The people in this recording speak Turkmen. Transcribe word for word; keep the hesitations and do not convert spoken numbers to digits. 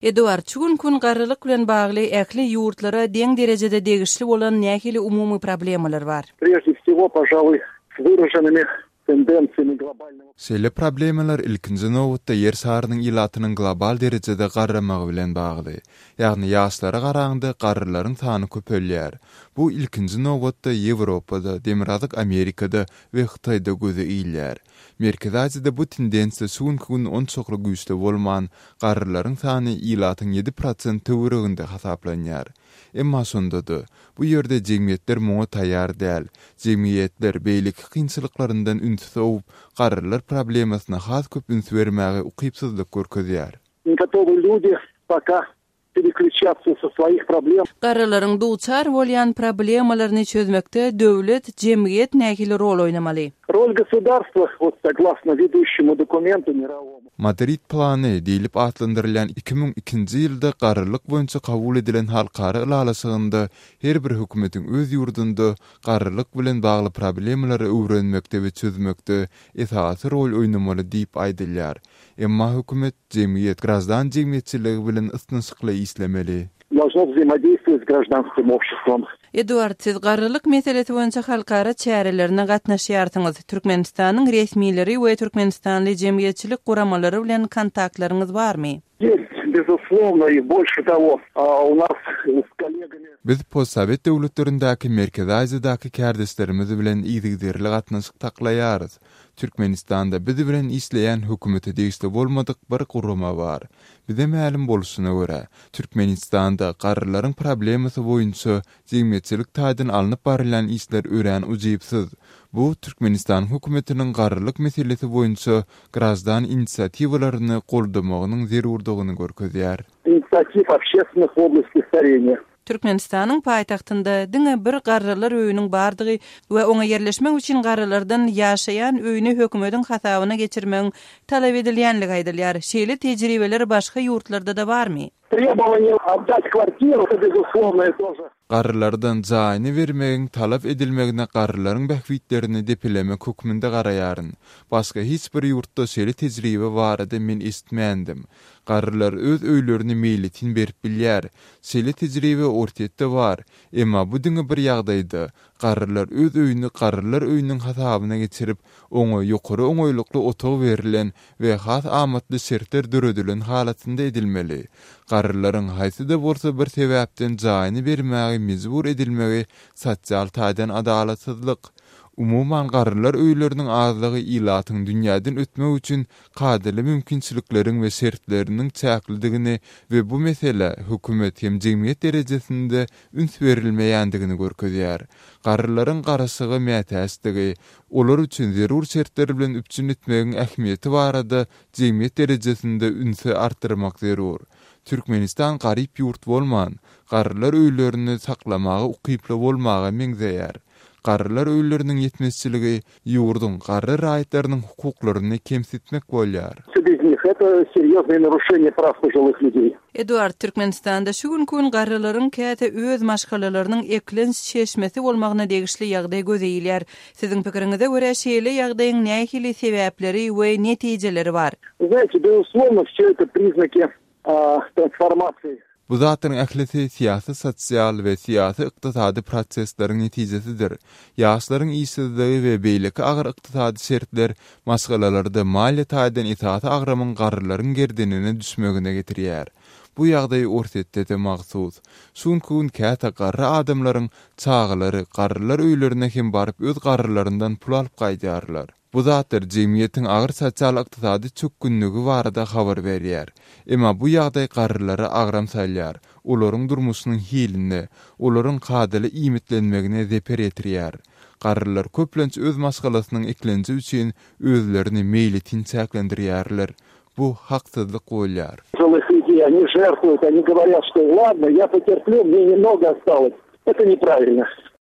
Eduard, şu günki gün garrylyk bilen bagly ähli ýurtlara deň derejede degişli bolan nähili umumy problemalar bar? Прежде всего, пожалуй, с выраженными тенденциями глобального Şeýle problemalar ilkinji nobatda ýer şarynyň ilatynyň global derejede garramagy bilen bagly. Ýagny ýaşlara garaňda garrylaryň sany köpelýär. Bu ilkinji nobatda Ýewropada, Demirgazyk Amerikada we Hytaýda göze ilýär. Merkezi Aziýada bu tendensiýa şu günki gün onçakly güýçli bolman, garrylaryň sany ilatyň ýedi prosent töwereginde hasaplanýar. Emma şonda-da bu ýerde jemgyýetler muňa taýýar däl. Jemgyýetler beýleki kynçylyklaryndan ünsi sowup, garrylar problemasyna has köp üns bermäge ukypsyzlyk görkezýär. Не готовы люди пока переключаться со своих проблем. Garrylaryň duçar bolýan problemalaryny çözmekde döwlet, jemgyýet nähili rol oýnamaly? Роль государства, вот согласно ведущему документу мировому. Madrid plany diýlip atlandyrylýan iki müň ikinji ýylda garrylyk boýunça kabul edilen halkara ylalaşygynda her bir hökümetiň öz ýurdunda garrylyk bilen bagly problemalary öwrenmekde we çözmekde esasy rol oýnamaly diýip aýdylýar. Emma hökümet jemgyýet graždan jemgyýetçiligi bilen ysnyşykly işlemeli. Должно взаимодействовать с гражданским обществом. Eduard, siz garrylyk meselesi boýunça halkara çärelerine gatnaşýarsyňyz. Türkmenistanyň resmileri we Türkmenistanly jemgyýetçilik guramalary bilen kontaktlaryňyz barmy? Есть, безусловно, и больше того, а, у нас с коллегами Biz postsovet döwletlerindäki Merkezi Aziýadaky kärdeşlerimiz bilen yzygiderli gatnaşyk saklaýarys. Türkmenistanda biz bilen işleýän hökümete degişli bolmadyk bir gurama bar. Bize mälim bolşuna görä, Türkmenistanda garrylaryň problemasy boýunça jemgyýetçilik taýdan alnyp barylýan işler örän ujypsyz. Bu Türkmenistan hökümetiniň garrylyk meselesi boýunça graždan inisiatiwalaryny goldamagynyň zerurdygyny görkezýär. Инициатив общественных в области старения. Türkmenistanyň paýtagtynda diňe bir garrylar öýüniň bardygy we oňa ýerleşmek üçin garrylardan ýaşaýan öýüni hökümetiň hasabyna geçirmegiň talap edilýänligi aýdylýar. Şeýle tejribeler başga ýurtlarda da barmy? Требование отдать квартиру, это безусловно тоже. Garrylardan jaýyny bermegiň talap edilmegine garrylaryň bähbitlerini depelemek hökmünde garaýaryn. Başga hiç bir ýurtda şeýle tejribe barada men eşitmändim. Garrylar öz öýlerini meýletin berip bilýär. Şeýle tejribe Orsýetde bar. Emma bu diňe bir ýagdaýda garrylar öz öýüni garrylar öýüniň hasabyna geçirip, oňa ýokary oňaýlykly otag berilen we has amatly şertler döredilen halatynda edilmeli. Garrylaryň haýsy-da bolsa bir sebäpden jaýyny bermäge mejbur edilmegi sosial taýdan adalatsyzlyk. Umuman garrylar öýleriniň azlygy ilatyň dünýäden ötmek üçin kadaly mümkinçilikleriň we şertleriniň çäklidigini we bu mesele hökümet hem jemgyýet derejesinde üns berilmeýändigini görkezýär. Garrylaryň garaşyga mätäçdigi, olar üçin zerur şertler bilen üpjün etmegiň ähmiýeti barada jemgyýet derejesinde ünsi artdyrmak zerur. Türkmenistan garyp ýurt bolman, garrylar öýlerini saklamaga ukyply bolmaga meňzeýär. Garrylar öýleriniň ýetmezçiligi ýurduň garry raýatlarynyň hukuklaryny kemsitmek bolýar. Без них это серьезное нарушение прав пожилых людей. Eduard, Türkmenistanda şu günki gün garrylaryň käte öz maşgalalarynyň eklenç çeşmesi bolmagyna degişli ýagdaý göze ilýär. Siziň pikiriňize görä şeýle ýagdaýyň nähili sebäpleri we netijeleri bar? Знаете, безусловно, все это признаки, а, трансформации. Bu zatlaryň ählisi syýasy, sosial we syýasy ykdysady prosesleriň netijesidir. Ýaşlaryň işsizligi we beýleki agyr ykdysady şertler maşgalalarda maliýe taýdan esasy agramyň garrylaryň gerdenine düşmegine getirýär. Bu ýagdaý Orsýetde-de mahsus. Şu günki gün käte garry adamlaryň çagalary garrylar öýlerine hem baryp öz garrylaryndan pul alyp gaýdýarlar. Bu zatlar jemgyýetiň agyr sosial ykdysady çökgünligi barada habar berýär. Emma bu ýagdaý garrylara agram salýar, olaryň durmuşynyň hiline, olaryň kadaly iýmitlenmegine zeper ýetirýär. Garrylar köplenç öz maşgalasynyň eklenji üçin özlerini meýletin çäklendirýärler. Bu haksyzlyk bolýar. Пожилых людей, они жертвуют, они говорят, что ладно, я потерплю, мне немного осталось. Это неправильно.